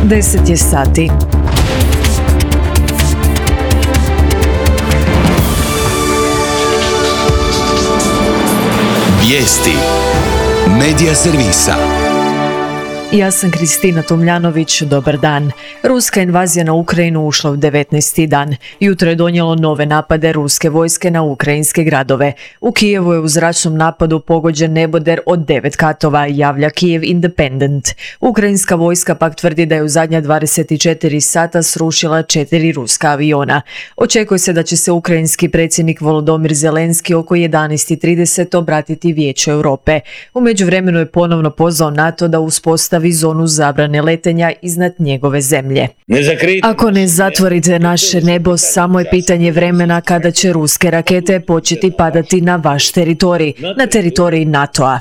10 je sati. Vijesti Medija servisa. Ja sam Kristina Tomljanović, dobar dan. Ruska invazija na Ukrajinu ušla u 19. dan. Jutro je donijelo nove napade ruske vojske na ukrajinske gradove. U Kijevu je u zračnom napadu pogođen neboder od 9 katova, javlja Kiev Independent. Ukrajinska vojska pak tvrdi da je u zadnja 24 sata srušila 4 ruska aviona. Očekuje se da će se ukrajinski predsjednik Volodymyr Zelenski oko 11:30 obratiti Vijeću Europe. U međuvremenu je ponovno pozvao NATO da uspostavi zonu zabrane letenja iznad njegove zemlje. Ako ne zatvorite naše nebo, samo je pitanje vremena kada će ruske rakete početi padati na vaš teritorij, na teritorij NATO-a.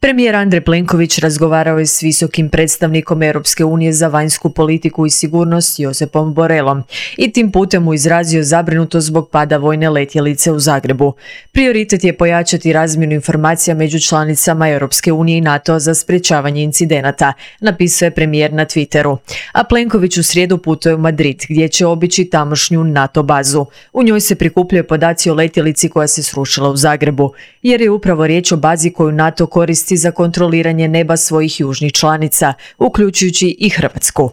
Premijer Andrej Plenković razgovarao je s visokim predstavnikom Europske unije za vanjsku politiku i sigurnost Josepom Borrellom i tim putem mu izrazio zabrinutost zbog pada vojne letjelice u Zagrebu. Prioritet je pojačati razmjenu informacija među članicama Europske unije i NATO za sprječavanje incidenata, napisao je premijer na Twitteru. A Plenković u srijedu putuje u Madrid, gdje će obići tamošnju NATO bazu. U njoj se prikupljaju podaci o letjelici koja se srušila u Zagrebu, jer je upravo riječ o bazi koju NATO koristi za kontroliranje neba svojih južnih članica, uključujući i Hrvatsku.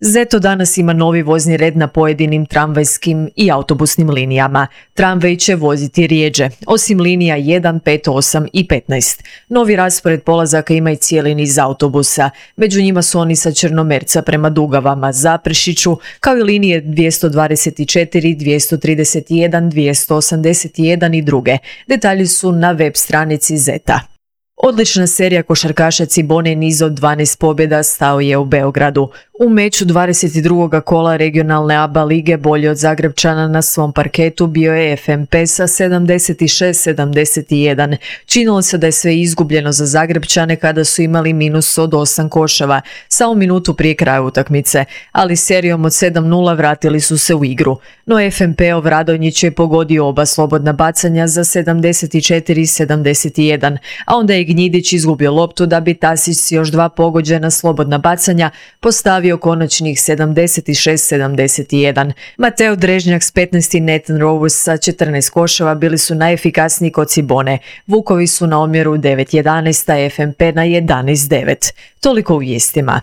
ZETO danas ima novi vozni red na pojedinim tramvajskim i autobusnim linijama. Tramvaj će voziti rjeđe, osim linija 1, 5, 8 i 15. Novi raspored polazaka ima i cijeli niz autobusa. Među njima su oni sa Črnomerca prema Dugavama, Zaprešiću, kao i linije 224, 231, 281 i druge. Detalji su na web stranici ZETA. Odlična serija košarkaša Cibone, niz od 12 pobjeda, stao je u Beogradu. U meču 22. kola regionalne ABA lige bolje od Zagrebčana na svom parketu bio je FNP sa 76-71. Činilo se da je sve izgubljeno za Zagrebčane kada su imali minus od 8 koševa, samo minutu prije kraja utakmice, ali serijom od 7-0 vratili su se u igru. No FNP-ov Radonjić je pogodio oba slobodna bacanja za 74-71, a onda je Gnjidić izgubio loptu da bi Tasić s još 2 pogođena slobodna bacanja postavio konačnih 76-71. Mateo Drežnjak s 15 i Nathan Rovers sa 14 koševa bili su najefikasniji kod Cibone. Vukovi su na omjeru 9-11, a FNP na 11-9. Toliko u vijestima.